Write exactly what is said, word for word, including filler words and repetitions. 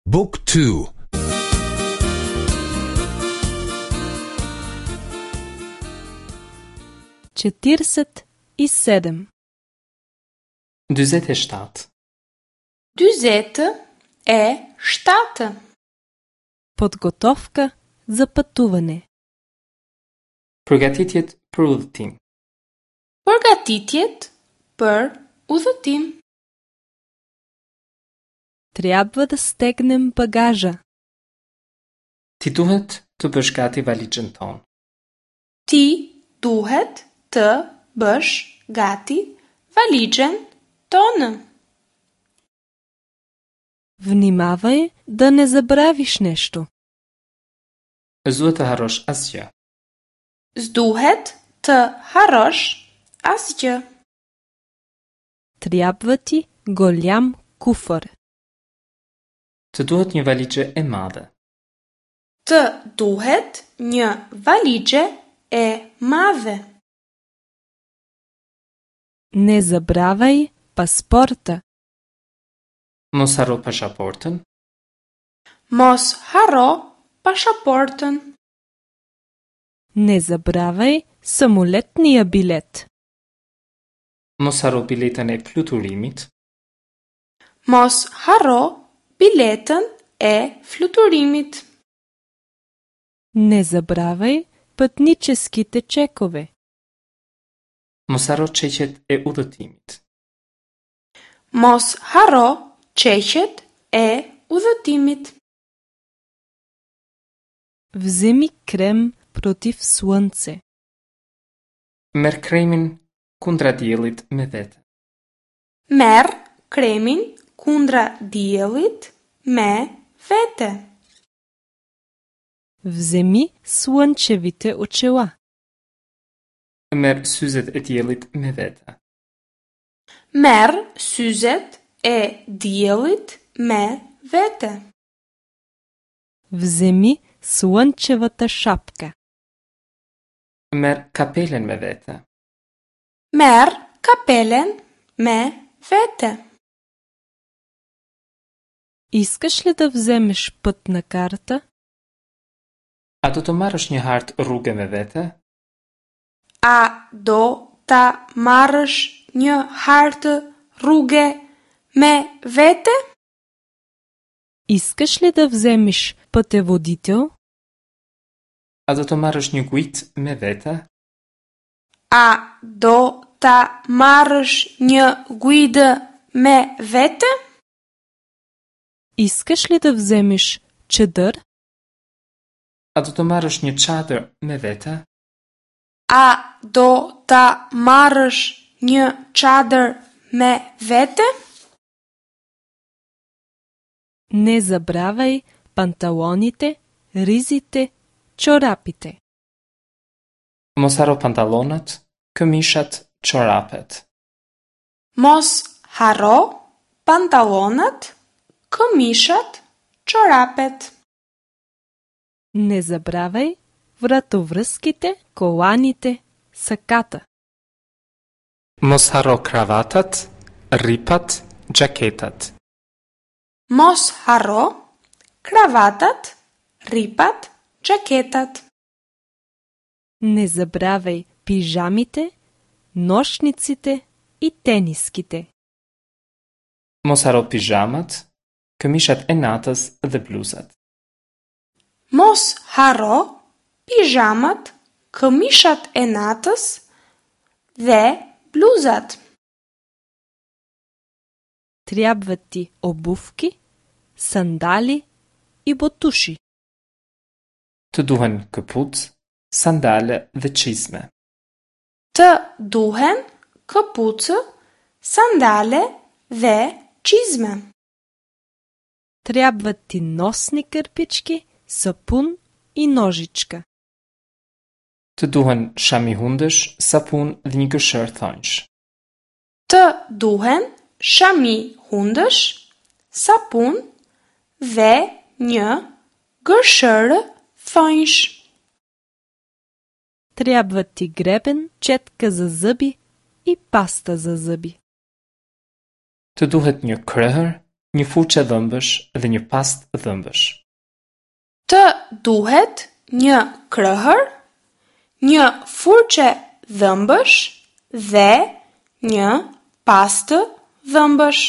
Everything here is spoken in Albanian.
Book two. Четиресет и седем. Dyzet e shtatë. Dyzet e shtatë. Подготовка за пътуване. Përgatitjet për udhëtim. Përgatitjet për udhëtim. Трябва да стегнем багажа. Ti duhet të bësh gati valixhen tonë. Ti duhet të bësh gati valixhen tonë. Внимавай да не забравиш нещо. S'duhet të harrosh asgjë. S'duhet të harrosh asgjë. Трябва ти голям куфар. Të duhet një valixhe e madhe. Të duhet një valixhe e madhe. Не забравяй паспорта. Mos harro pasaportën. Mos harro pasaportën. Не забравяй самолетния билет. Mos harro biletën e fluturimit. Mos harro biletën e fluturimit. Не забравяй пътническите чекове. Mos harro çeqet e udhëtimit. Mos harro çeqet e udhëtimit. Вземи крем против слънце. Merr kremin kundra diellit me vete. Merr kremin kundra diellit me vete. Вземи слънчевите очила. Merr syzet e diellit me vete. Merr syzet e diellit me vete. Вземи слънчевата шапка. Merr kapelen me vete. Merr kapelen me vete. Искаш ли да вземеш пътна карта? A do të marrësh një hartë rruge me vete? A do ta marrësh një hartë rruge me vete? Искаш ли да вземеш пътеводител? A do të marrësh një guidë me vete? A do ta marrësh një guidë me vete? Искаш ли да вземеш чадър? A do të marrësh një çadër me vete? A do ta marrësh një çadër me vete? Не забравяй панталоните, ризите, чорапите. Mos harro pantallonat, këmishat, çorapet. Mos harro pantallonat, këmishat, çorapet. Не забравяй вратовръзките, коланите, саката. Mos harro kravatat, rripat, xhaketat. Mos harro kravatat, rripat, xhaketat. Не забравяй пижамите, нощниците и тениските. Mos harro pizhamat, këmishat e natës dhe bluzat. Mos harro pizhamat, këmishat e natës dhe bluzat. Трябват ти обувки, сандали и ботуши. Të duhen këpucë, sandale dhe çizme. Të duhen këpucë, sandale dhe çizme. Трябват ти носни кърпички, сапун и ножичка. Të duhen shami hundësh, sapun dhe një gërshërë thonjsh. Të duhen shami hundësh, sapun dhe një gërshërë thonjsh. Трябват ти гребен, четка за зъби и паста за зъби. Të duhet një krehër, një furçe dhëmbësh dhe një pastë dhëmbësh. Të duhet një krëhër, një furçe dhëmbësh dhe një pastë dhëmbësh.